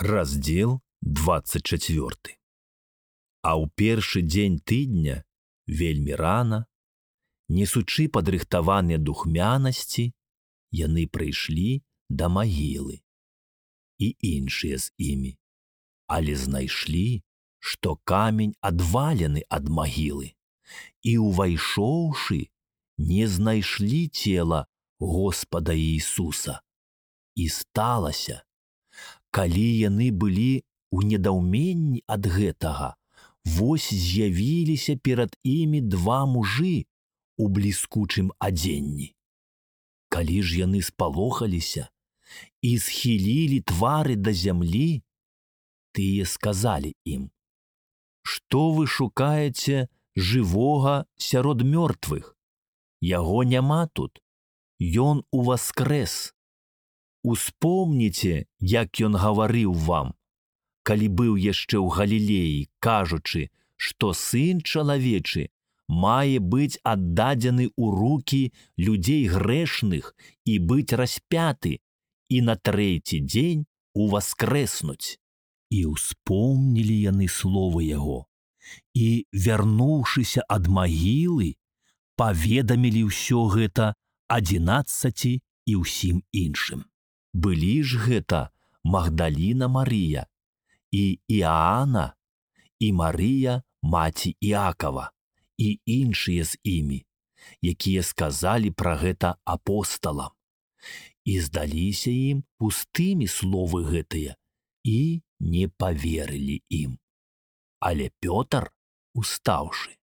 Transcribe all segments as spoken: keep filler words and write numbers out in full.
Раздзел двадцать четвёрты. А ў першы дзень тыдня, вельмі рана, несучы падрыхтаваныя духмянасці, яны прыйшлі да магілы. І іншыя з імі, але знайшлі, што камень адвалены ад магілы, і, увайшоўшы, не знайшлі цела Господа Іісуса. І сталася, калі яны былі ў недаўменні ад гэтага, вось з'явіліся перад імі два мужы у бліскучым адзенні. Калі ж яны спалохаліся і схілілі твары да зямлі, тыя сказалі ім: «Што вы шукаеце жывога сярод мёртвых? Яго няма тут, ён уваскрэс. Успомніце, як ён гаварыў вам, калі быў яшчэ ў Галілеі, кажучы, што Сын чалавечы мае быць аддадзены ў рукі людзей грэшных і быць распяты, і на трэці дзень уваскрэснуць». І ўспомнілі яны словы яго, і, вярнуўшыся ад магілы, паведамілі ўсё гэта адзінаццаці і ўсім іншым. Былі ж гэта Магдаліна Марыя, і Іаана, і Марыя, маці Іакава, і іншыя з імі, якія сказалі пра гэта апосталам. І здаліся ім пустымі словы гэтыя, і не паверылі ім. Але Пётр, устаўшы,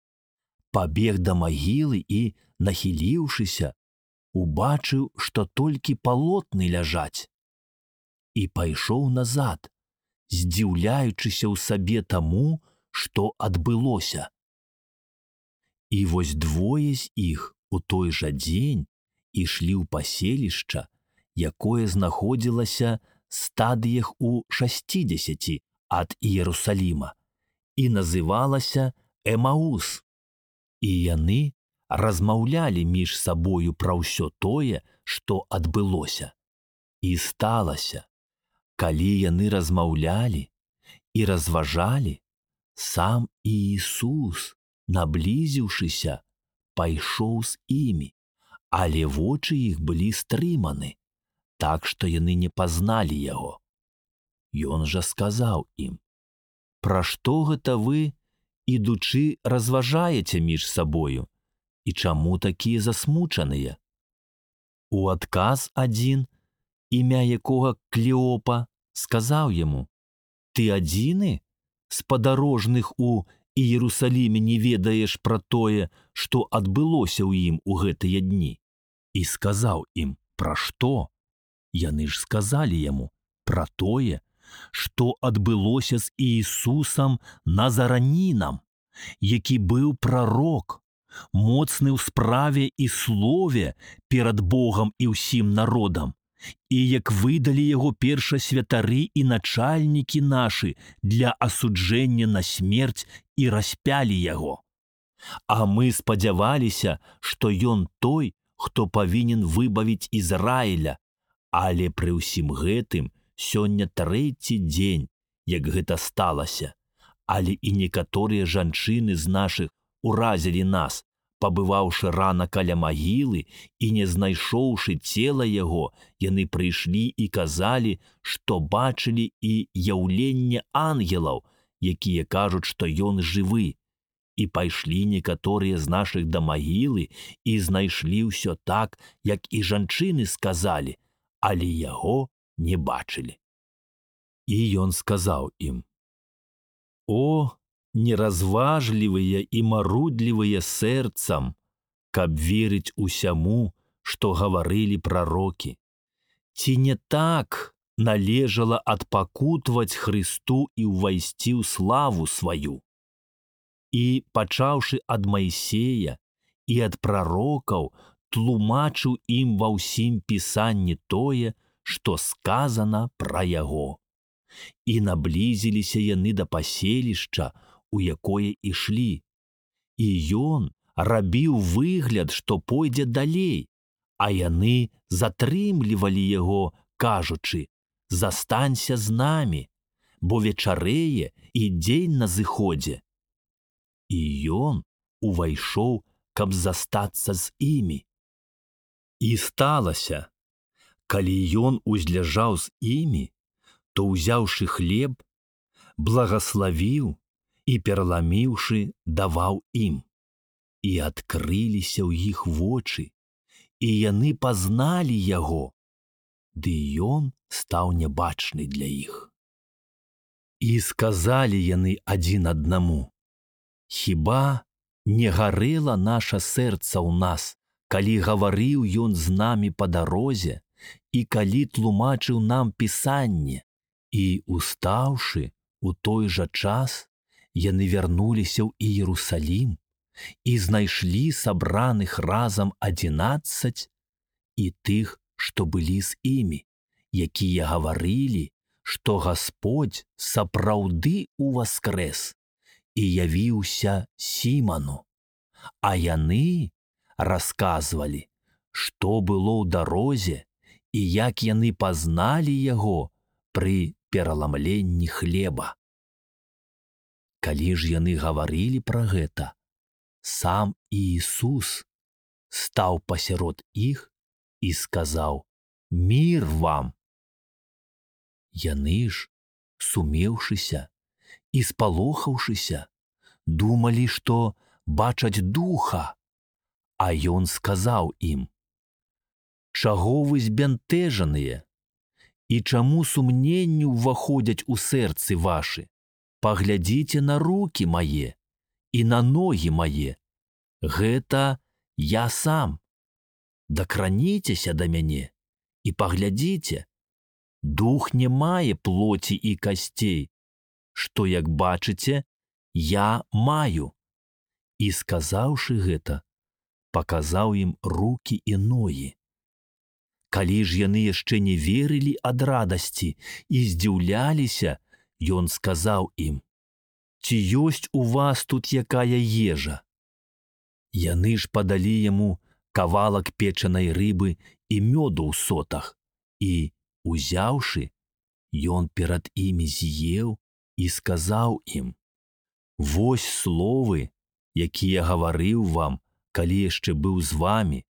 пабег да магілы і, нахіліўшыся, убачыў, што толькі палотны ляжаць, і пайшоў назад, здзіўляючыся ў сабе таму, што адбылося. І вось двое з іх у той жа дзень ішлі ў паселішча, якое знаходзілася стадыях у шасцідзесяці ад Іерусаліма, і называлася Эмаус. І яны размаўлялі між сабою пра ўсё тое, што адбылося. І сталася, калі яны размаўлялі і разважалі, сам Іісус, наблізіўшыся, пайшоў з імі, але вочы іх былі стрыманы, так што яны не пазналі яго. Ён жа сказаў ім: «Пра што гэта вы, ідучы, разважаеце між сабою, і чаму такія засмучаныя?» У адказ адзін, імя якога Клеопа, сказаў яму: «Ты адзіны з падарожных у Іерусаліме не ведаеш пра тое, што адбылося ў ім у гэтыя дні?» І сказаў ім: «Пра што?» Яны ж сказалі яму пра тое, што адбылося з Іісусам Назаранінам, які быў прарок, моцны ў справе і слове перад Богам і ўсім народам, і як выдалі яго першасвятары і начальнікі нашы для асуджэння на смерць і распялі яго. А мы спадзяваліся, што ён той, хто павінен выбавіць Ізраіля, але пры ўсім гэтым сёння трэці дзень, як гэта сталася, але і некаторыя жанчыны з нашых уразілі нас, пабываўшы рана каля магілы і не знайшоўшы цела яго, яны прыйшлі і казалі, што бачылі і яўленне ангелаў, якія кажуць, што ён жывы. І пайшлі некаторыя з нашых да магілы і знайшлі ўсё так, як і жанчыны сказалі, але яго не бачылі». І ён сказаў ім: «О, неразважлівыя і марудлівыя сэрцам, каб верыць усяму, што гаварылі прарокі! Ці не так належала адпакутваць Хрысту і ўвайсці ў славу сваю? І, пачаўшы ад Майсея і ад прарокаў, тлумачыў ім ва ўсім пісанні тое, што сказана пра яго. І наблізіліся яны да паселішча, у якое ішлі. І ён рабіў выгляд, што пойдзе далей, а яны затрымлівалі яго, кажучы: «Застанься з намі, бо вечарэе і дзень на зыходзе. І ён увайшоў, каб застацца з імі. І сталася, калі ён узляжаў з імі, то, узяўшы хлеб, благаславіў і, пераламіўшы, даваў ім. І адкрыліся ў іх вочы, і яны пазналі яго, ды ён стаў нябачны для іх. І сказалі яны адзін аднаму: «Хіба не гарэла наша сэрца ў нас, калі гаварыў ён з намі па дарозе і калі тлумачыў нам пісанне?» І, устаўшы, у той жа час яны вярнуліся ў Іерусалім і знайшлі сабраных разам адзінаццаць і тых, што былі з імі, якія гаварылі, што Гасподзь сапраўды уваскрэс і явіўся Сіману, а яны расказвалі, што было ў дарозе і як яны пазналі яго пры пераламленні хлеба. Калі ж яны гаварылі пра гэта, сам Іісус стаў пасярод іх і сказаў: «Мір вам!» Яны ж, сумеўшыся і спалохаўшыся, думалі, што бачаць духа, а ён сказаў ім: «Чаго вы збянтэжаныя? І чаму сумненні ўваходзяць у сэрцы вашы? Паглядзіце на рукі мае і на ногі мае. Гэта я сам. Дакраніцеся да мяне і паглядзіце. Дух не мае плоці і касцей, што, як бачыце, я маю». І, сказаўшы гэта, паказаў ім рукі і ногі. Калі ж яны яшчэ не верылі ад радасці і здзіўляліся, ён сказаў ім: «Ці ёсць у вас тут якая ежа?» Яны ж падалі яму кавалак печанай рыбы і мёду ў сотах, і, узяўшы, ён перад імі з'еў і сказаў ім: «Вось словы, якія гаварыў вам, калі яшчэ быў з вамі,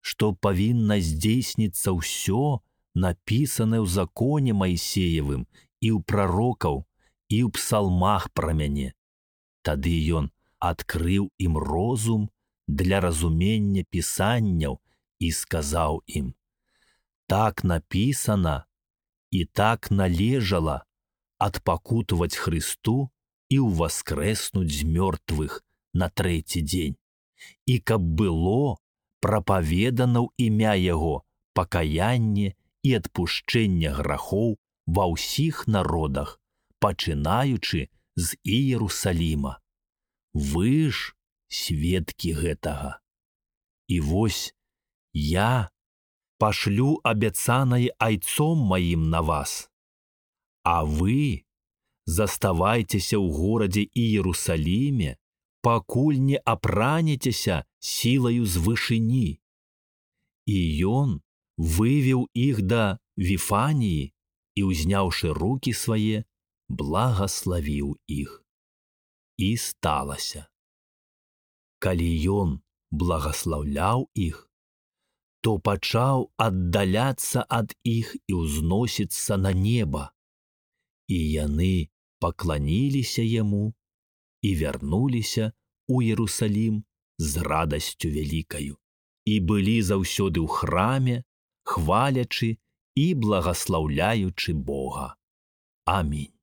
што павінна здзейсніцца ўсё, напісанае ў законе Майсеевым і ў прарокаў, і ў псалмах пра мяне». Тады ён адкрыў ім розум для разумення пісанняў і сказаў ім: «Так напісана і так належала адпакутаваць Хрысту і ўваскрэснуць з мёртвых на трэці дзень, і каб было прапаведана ў імя яго пакаянне і адпушчэнне грахоў ва ўсіх народах, пачынаючы з Іерусаліма. Вы ж сведкі гэтага. І вось я пашлю абяцанае айцом маім на вас, а вы заставайцеся ў горадзе Іерусаліме, пакуль не апранецеся сілаю з вышыні». І ён вывеў іх да Віфаніі і, узняўшы рукі свае, благаславіў іх. І сталася, калі ён благаслаўляў іх, то пачаў аддаляцца ад іх і ўзносіцца на неба. І яны пакланіліся яму і вярнуліся ў Іерусалім з радасцю вялікаю, і былі заўсёды ў храме, хвалячы і благаслаўляючы Бога. Амінь.